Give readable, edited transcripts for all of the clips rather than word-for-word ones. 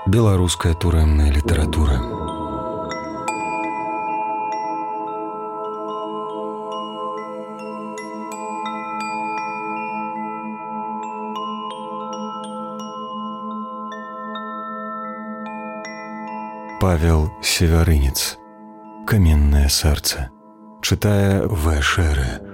Беларуская турэмная літаратура. Павел Севярынец. Каменное сердце. Читая В. Шере.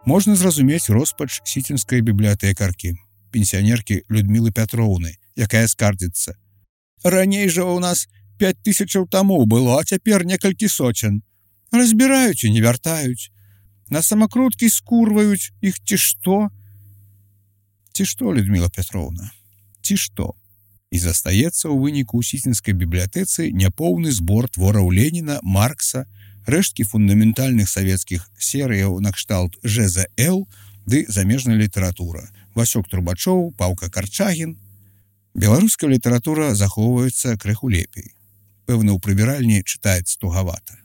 Можна зразумець роспач сіцінскай бібліятэкаркі, пенсіянеркі Людмілы Пятроўны, якая скардзіцца. Раней жа ў нас 5000 тамоў было, а цяпер некалькі соцен. Разбіраюць і не вяртаюць. На самакруткі скурваюць іх ці што? Ці што, Людміла Пятроўна? Ці што? І застаецца ў выніку ў сіцінскай бібліятэцы няпоўны збор твораў Леніна, Маркса, рэшткі фундаментальных савецкіх серыяў накшталт ЖЗЛ ды замежная літаратура. Васёк Трубачоў, Паўка Карчагін. Беларуская літаратура захоўваецца крыху лепей. Пэвна, ў прыбіральні чытаецца тугавата.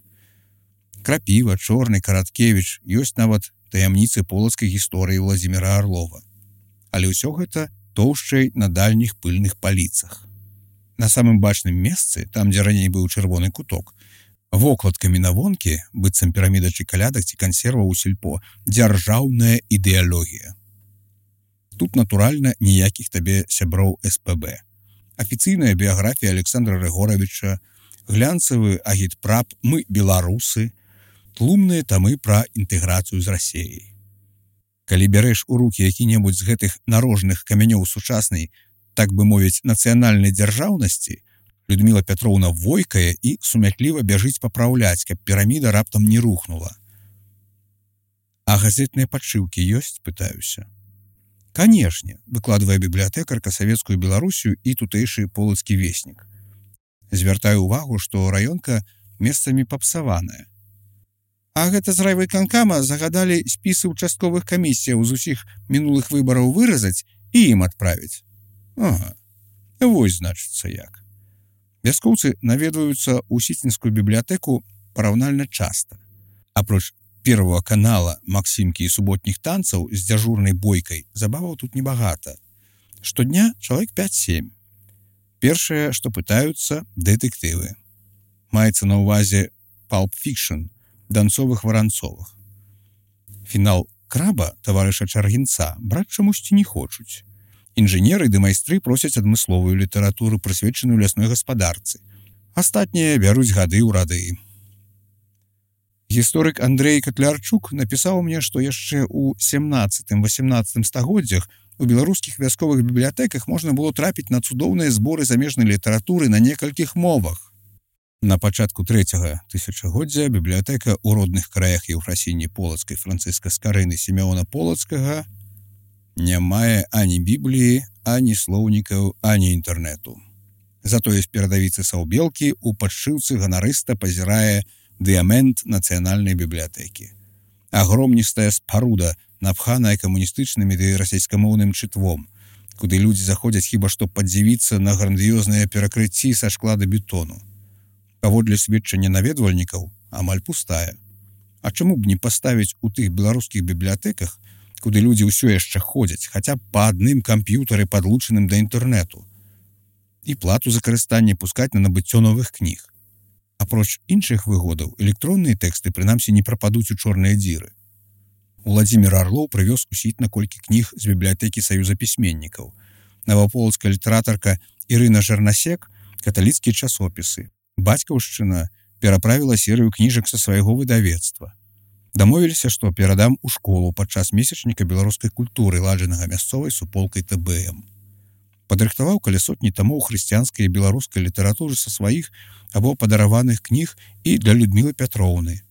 Крапіва, Чорны, Караткевіч, ёсць нават таямніцы полацкай гісторыі Владзіміра Арлова. Але ўсё гэта тоўшчай на дальніх пыльных паліцах. На самым бачным месцы, там, дзе раней быў чырвоны куток, вокладкамі на вонкі, быццам піраміда ці калядак ці кансерва ў сельпо, дзяржаўная ідэалогія. Тут, натуральна, ніякіх табе сяброў СПБ. Афіцыйная біяграфія Александра Рыгоравіча, глянцавы агітпрап «Мы беларусы», тлумныя тамы пра інтэграцыю з Расіяй. Калі бярэш у рукі які-небудзь з гэтых нарожных камянёў сучаснай, так бы мовіць, нацыянальнай дзяржаўнасці, Людміла Пятроўна войкае і сумятліва бяжыць папраўляць, каб піраміда раптам не рухнула. А газетныя падшыўкі ёсць, пытаюся. Канешне, выкладвае бібліятэкарка савецкую Беларусію і тутэйшы полацкі веснік. Звяртаю ўвагу, што раёнка месцамі папсаваная. А гэта з райвыканкама загадалі спісы ўчастковых камісіяў з усіх мінулых выбараў выразаць і ім адправіць. Ага, вось значыцца як. Вяскоўцы наведваюцца ў сіцінскую бібліятэку параўнальна часта. Апроч Первого канала, Максімкі і суботніх танцаў з дзяжурнай бойкай забаваў тут небагата. Штодня чалавек 5-7. Першае, што пытаюцца, дэтэктывы. Маецца на ўвазе Pulp Fiction, данцовых-варанцовых. Фінал «Краба» таварыша Чаргінца браць чамусьці не хочуць. Інжынеры ды майстры просяць адмысловую літаратуру, прысвечаную лясной гаспадарцы. Астатнія бяруць гады ў рады. Гісторык Андрэй Катлярчук напісаў мне, што яшчэ ў 17-18 стагоддзях у беларускіх вясковых бібліятэках можна было трапіць на цудоўныя зборы замежнай літаратуры на некалькіх мовах. На пачатку 3-го тысячагоддзя бібліятэка ў родных краях Еўфрасіні Полацкай, Францыска Скарыны, Сімеона Полацкага не мае ані бібліі, ані слоўнікаў, ані інтэрнэту. Затое з перадавіцы Саўбелкі ў падшыўцы ганарыста пазірае дыямент нацыянальнай бібліятэкі. Агромністая спаруда, напханая камуністычнымі ды расейскамоўным чытвом, куды людзі заходзяць хіба што падзівіцца на грандыёзныя перакрыцці са шкла да бетону. Паводле сведчання наведвальнікаў, амаль пустая. А чаму б не паставіць у тых беларускіх бібліятэках, куды людзі ўсё яшчэ ходзяць, хаця б па адным камп'ютары, падлучаным да інтэрнэту, і плату за карыстанне пускаць на набыццё новых кніг. Апроч іншых выгодаў, электронныя тэксты прынамсі не прападуць у чорныя дзіры. Владзімір Арлоў прывёз у Сітна колькі кніг з бібліятэкі Саюза пісьменнікаў. Наваполацкая літаратарка Ірына Жарнасек – каталіцкія часопісы. Бацькаўшчына пераправіла серыю кніжак са свайго выдавецтва. Дамовіліся, што перадам у школу падчас месячніка беларускай культуры, ладжанага мясцовай суполкай ТБМ. Падрыхтаваў каля сотні тамоў хрысціянскай і беларускай літаратуры са сваіх або падараваных кніг і для Людмілы Пятроўны.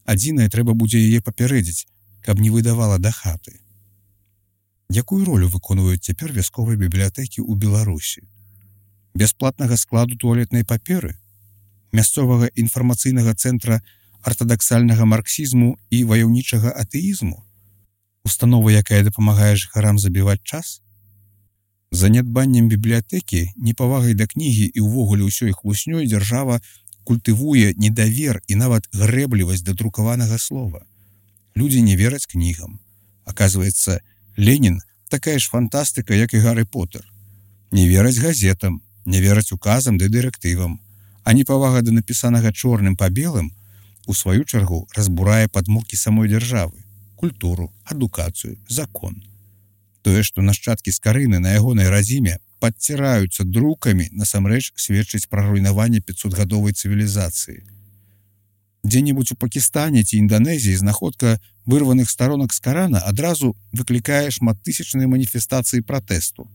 Адзінае, трэба будзе яе папярэдзіць, каб не выдавала да хаты. Якую ролю выконваюць цяпер вясковыя бібліятэкі ў Беларусі? Бясплатнага складу туалетнай паперы? Мясцовага інфармацыйнага цэнтра артадаксальнага марксізму і ваяўнічага атэізму? Установа, якая дапамагае жыхарам забіваць час? Занядбаннем бібліятэкі, непавагай да кнігі і ўвогуле ўсёй хлуснёй дзяржава культывуе недавер і нават грэблівасць да друкаванага слова. Людзі не вераць кнігам. Аказваецца, Ленін такая ж фантастыка, як і Гарры Поттер. Не вераць газетам, не вераць указам ды дырэктывам, а непавага да напісанага чорным па белым у сваю чаргу разбурае падмуркі самой дзяржавы, культуру, адукацыю, закон. Тое, што нашчадкі Скарыны на ягонай радзіме падціраюцца друкамі, насамрэч сведчыць пра руйнаванне 500-гадовай цывілізацыі. Дзе-небудзь у Пакістане ці Інданезіі знаходка вырваных старонак з Карана адразу выклікае шматтысячныя маніфестацыі пратэсту.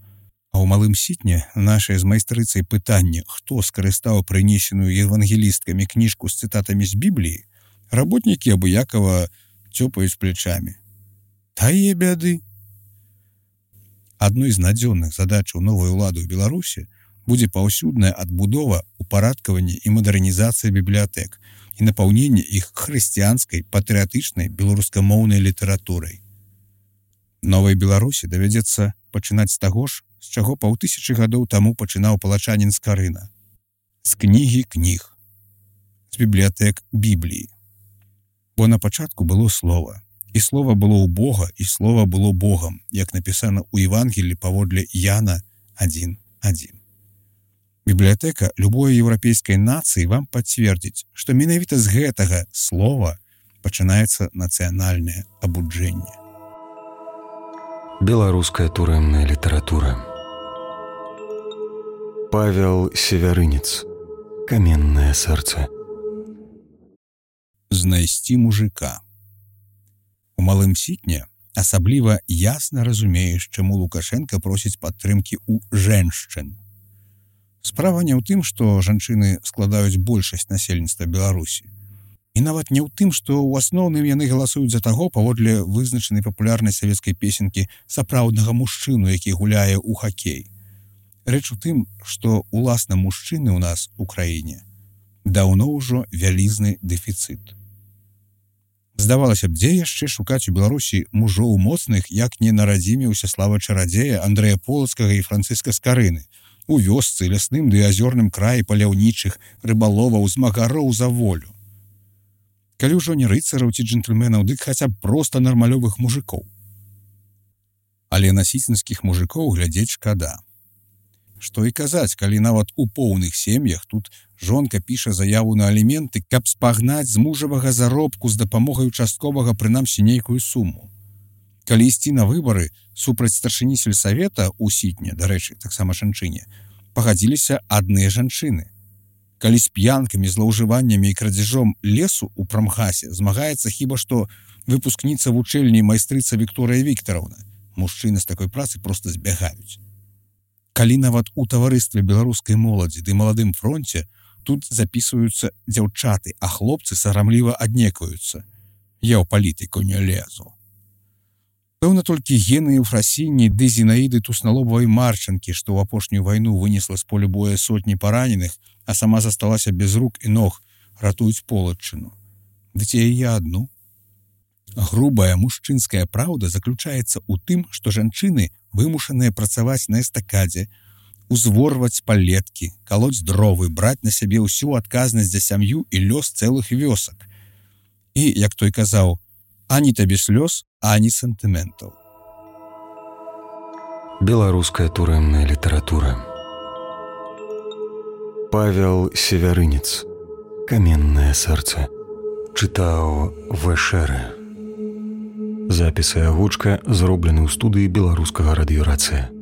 А ў Малым Сітне нашае з майстрыцай пытанне, хто скарыстаў прынесеную евангелісткамі кніжку з цытатамі з Бібліі, работнікі абыякава цёпаюць плечамі. Тае бяды. Адной з надзённых задачаў новай улады ў Беларусі будзе паўсюдная адбудова, упарадкаванне і мадэрнізацыя бібліятэк і напаўненне іх хрысціянскай, патрыятычнай беларускамоўнай літаратурай. Новай Беларусі давядзецца пачынаць з таго ж, з чаго 5000 гадоў таму пачынаў палачанін Скарына. З кнігі кніг. З бібліятэк Бібліі. Бо на пачатку было слова. І слова было ў Бога, і слова было Богам, як напісана ў Евангелі паводле Яна 1:1. Бібліятэка любой еўрапейскай нацыі вам пацвердзіць, што менавіта з гэтага слова пачынаецца нацыянальнае абуджэнне. Беларуская турэмная літаратура. Павел Севярынец. Каменнае сэрца. Знайсці мужика. У Малым Сітне асабліва ясна разумееш, чаму Лукашенка просіць падтрымкі ў жэншчын. Справа не ў тым, што жанчыны складаюць большасць насельніцтва Беларусі. І нават не ў тым, што ў асноўным яны галасуюць за таго паводле вызначанай папулярнай савецкай песенкі сапраўднага мужчыну, які гуляе ў хакей. Рэч у тым, што уласна мужчыны ў нас у краіне даўно ўжо вялізны дэфіцыт. Здавалася б, дзе яшчэ шукаць у Беларусі мужоў моцных, як не на радзіме Усяслава Чарадзея, Андрэя Полацкага і Францыска Скарыны, у вёсцы, лясным ды азёрным краі паляўнічых, рыбаловаў, змагароў за волю. Калі ўжо не рыцараў ці джентльменаў, дык хаця б проста нармалёвых мужикоў. Але на сіцінскіх мужикоў глядзець шкада. Што і казаць, калі нават у поўных сем'ях тут жонка піша заяву на аліменты, каб спагнаць з мужавага заробку з дапамогай участковага прынамсі нейкую суму. Калі ісці на выбары супраць старшыні сельсавета ў Сітне, дарэчы, таксама жанчыне, пагадзіліся адныя жанчыны. Калі з п'янкамі, злоўжываннямі і крадзежом лесу ў прамгасе змагаецца хіба што выпускніца вучэльні майстрыца Вікторыя Віктараўна, мужчыны з такой працы проста збягаюць. Калі нават у таварыстве беларускай моладзі ды маладым фронце тут запісваюцца дзяўчаты, а хлопцы сарамліва аднекваюцца. Я ў палітыку не лезу. Пэўна, толькі гены Еўфрасіні ды Зінаіды Тусналобавай Марчанкі, што ў апошнюю вайну вынесла з поля боя сотні параненых, а сама засталася без рук і ног, ратуюць Полаччыну. Ды ці яе адну? Грубая мужчынская праўда заключаецца ў тым, што жанчыны вымушаныя працаваць на эстакадзе, узворваць палеткі, калоць дровы, браць на сябе ўсю адказнасць за сям'ю і лёс цэлых вёсак. І, як той казаў, ані табе слёз, ані сантыментаў. Беларуская турэмная літаратура. Павел Севярынец. Каменнае сэрца. Чытаў В.Шэрэ. Запіс і агучка зроблены ў студыі беларускага радыёрацыя.